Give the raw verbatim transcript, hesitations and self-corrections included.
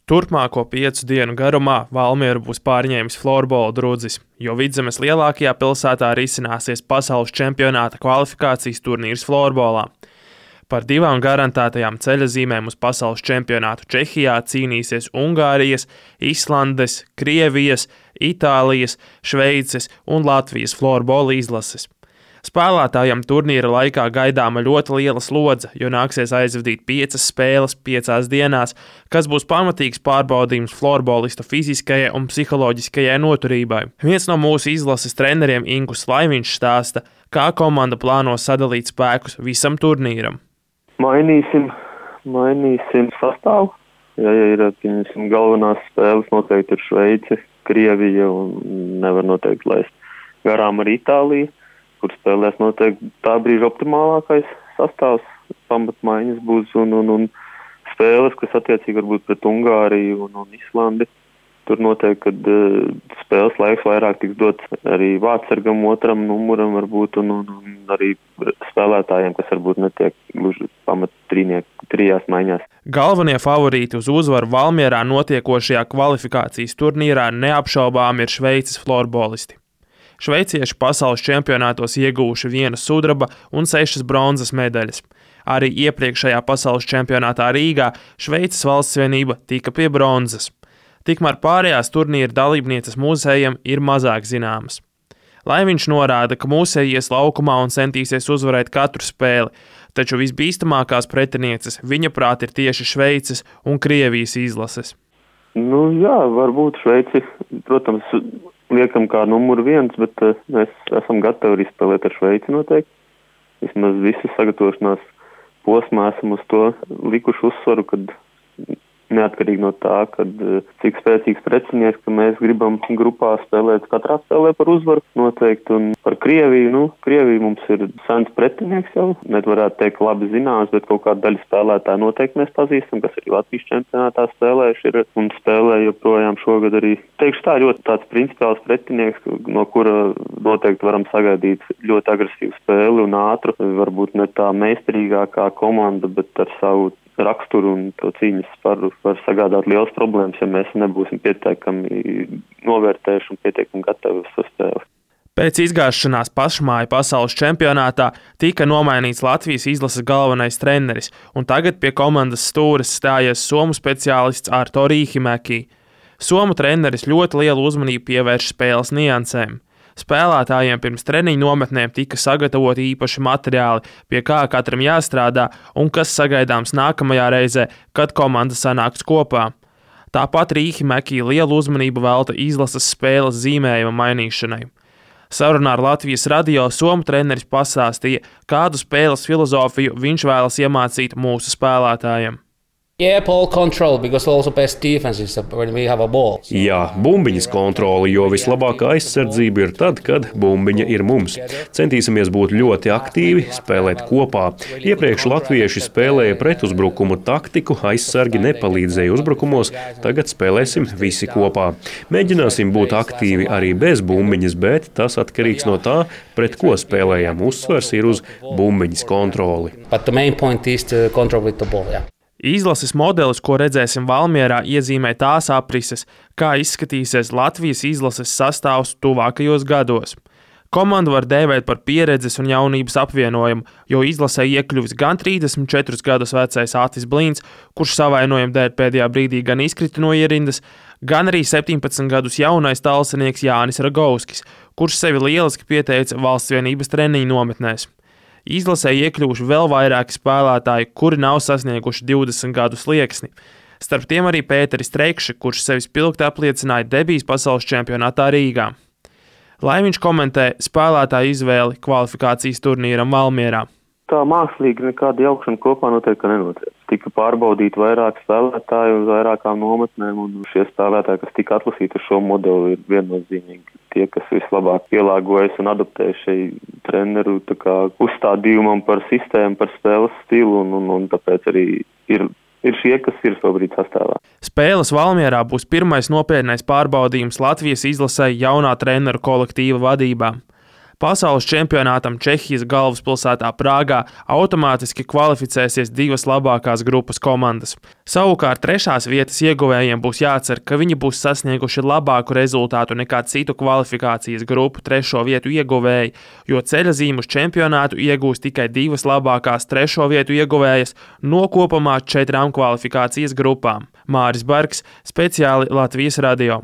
Turpmāko piecu dienu garumā Valmieru būs pārņēmis florbola drudzis, jo Vidzemes lielākajā pilsētā risināsies pasaules čempionāta kvalifikācijas turnīrs florbolā. Par divām garantētajām ceļazīmēm uz pasaules čempionātu Čehijā cīnīsies Ungārijas, Islandes, Krievijas, Itālijas, Šveices un Latvijas florbola izlases. Spēlētājiem turnīra laikā gaidāma ļoti liela slodze, jo nāksies aizvadīt piecas spēles piecās dienās, kas būs pamatīgs pārbaudījums florbolistu fiziskajai un psiholoģiskajai noturībai. Viens no mūsu izlases treneriem Ingus Laiviņš stāsta, kā komanda plāno sadalīt spēkus visam turnīram. Mainīsim, mainīsim sastāvu. Ja, ja ir piemēram, galvenās spēles noteikti ir Šveice, Krievija un nevar noteikti laist garām ar Itāliju, kur spēlēs noteikti tā brīža optimālākais sastāvs, pamatmaiņas būs un, un, un spēles, kas attiecīgi varbūt pret Ungāriju un, un Islandi. Tur noteikti, kad uh, spēles laiks vairāk tiks dots arī vārdsargam, otram numuram varbūt un, un, un arī spēlētājiem, kas varbūt netiek gluži pamat trīnieku trijās maiņās. Galvenie favorīti uz uzvaru Valmierā notiekošajā kvalifikācijas turnīrā neapšaubām ir Šveices florbolisti. Šveicieši pasaules čempionātos ieguvuši vienu sudraba un sešas bronzas medaļas. Arī iepriekšējā pasaules čempionātā Rīgā Šveices valstsvienība tika pie bronzas. Tikmēr pārējās turnīra dalībnieces mūsējiem ir mazāk zināmas. Laiviņš norāda, ka mūsēji ies laukumā un centīsies uzvarēt katru spēli, taču visbīstamākās pretinieces viņa prāt ir tieši Šveices un Krievijas izlases. Nu jā, varbūt Šveici, protams, liekam kā numuru viens, bet uh, mēs esam gatavi arī spēlēt ar Šveici noteikti. Vismaz visu sagatavošanās posmā esam uz to likuši uzsvaru, kad neatkarīgi no tā, kad uh, cik spēcīgs precinieks, ka mēs gribam grupā spēlēt, katrā spēlē par uzvaru noteikti. Un par Krieviju, nu, Krievija mums ir sens pretinieks jau, net varētu teikt labi zināms, bet kaut kāda daļa spēlētāja noteikti mēs pazīstam, kas arī Latvijas čempionātā spēlējuši ir un spēlē joprojām šogad arī. Teikšu tā, ļoti tāds principiāls pretinieks, no kura noteikti varam sagaidīt ļoti agresīvu spēli un ātru, varbūt ne tā meistarīgākā komanda, bet ar savu raksturu un to cīņas sparu var sagādāt liels problēmas, ja mēs nebūsim pietiekami novērtējuši un pietiekami gatavi uz to spēli. Pēc izgāšanās pašmāju pasaules čempionātā tika nomainīts Latvijas izlases galvenais treneris, un tagad pie komandas stūres stājies somu speciālists Arto Riihimäki. Somu treneris ļoti lielu uzmanību pievērš spēles niansēm. Spēlētājiem pirms treniņu nometnēm tika sagatavoti īpaši materiāli, pie kā katram jāstrādā un kas sagaidāms nākamajā reizē, kad komanda sanāks kopā. Tāpat Riihimäki lielu uzmanību velta izlases spēles zīmējuma mainīšanai. Sarunā ar Latvijas radio somu treneris pastāstīja, kādu spēles filozofiju viņš vēlas iemācīt mūsu spēlētājiem. Yeah, ball control, because also best defense is when we have a ball. Jā, bumbiņas kontroli, jo vislabākā aizsardzība ir tad, kad bumbiņa ir mums. Centīsimies būt ļoti aktīvi, spēlēt kopā. Iepriekš latvieši spēlēja pretuzbrukumu taktiku, aizsargi nepalīdzēja uzbrukumos, tagad spēlēsim visi kopā. Mēģināsim būt aktīvi arī bez bumbiņas, bet tas atkarīgs no tā, pret ko spēlējam. Uzsvers ir uz bumbiņas kontroli. But the main point is to control with the ball, yeah. Izlases modelis, ko redzēsim Valmierā, iezīmē tās aprises, kā izskatīsies Latvijas izlases sastāvs tuvākajos gados. Komandu var dēvēt par pieredzes un jaunības apvienojumu, jo izlasē iekļuvis gan trīsdesmit četrus gadus vecais Atis Blīns, kurš savainojuma dēļ pēdējā brīdī gan izkrita no ierindas, gan arī septiņpadsmit gadus jaunais talsinieks Jānis Ragauskis, kurš sevi lieliski pieteica valstsvienības treniņu nometnēs. Izlasē iekļuvuši vēl vairāki spēlētāji, kuri nav sasnieguši divdesmit gadu slieksni. Starp tiem arī Pēteris Trekši, kurš sevi spilgti apliecināja debijas pasaules čempionātā Rīgā. Laiviņš komentē spēlētāju izvēli kvalifikācijas turnīram Valmierā. Tā mākslīgi nekāda jaukšana kopā noteikti nenotiek. Tika pārbaudīti vairāki spēlētāji uz vairākām nometnēm, un šie spēlētāji, kas tika atlasīti ar šo modeli, ir viennozīmīgi tie, kas vislabāk pielāgojas un adaptē šai treneru tā kā uzstādījumam par sistēmu, par spēles stilu, un, un, un tāpēc arī ir, ir šie, kas ir šobrīd sastāvā. Spēles Valmierā būs pirmais nopietnais pārbaudījums Latvijas izlasē jaunā treneru kolektīva vadībā. Pasaules čempionātam Čehijas galvaspilsētā Prāgā automātiski kvalificēsies divas labākās grupas komandas. Savukārt trešās vietas ieguvējiem būs jācer, ka viņi būs sasnieguši labāku rezultātu nekā citu kvalifikācijas grupu trešo vietu ieguvēji, jo ceļazīmu uz čempionātu iegūs tikai divas labākās trešo vietu ieguvējas no kopumā četrām kvalifikācijas grupām. Māris Bergs, speciāli Latvijas radio.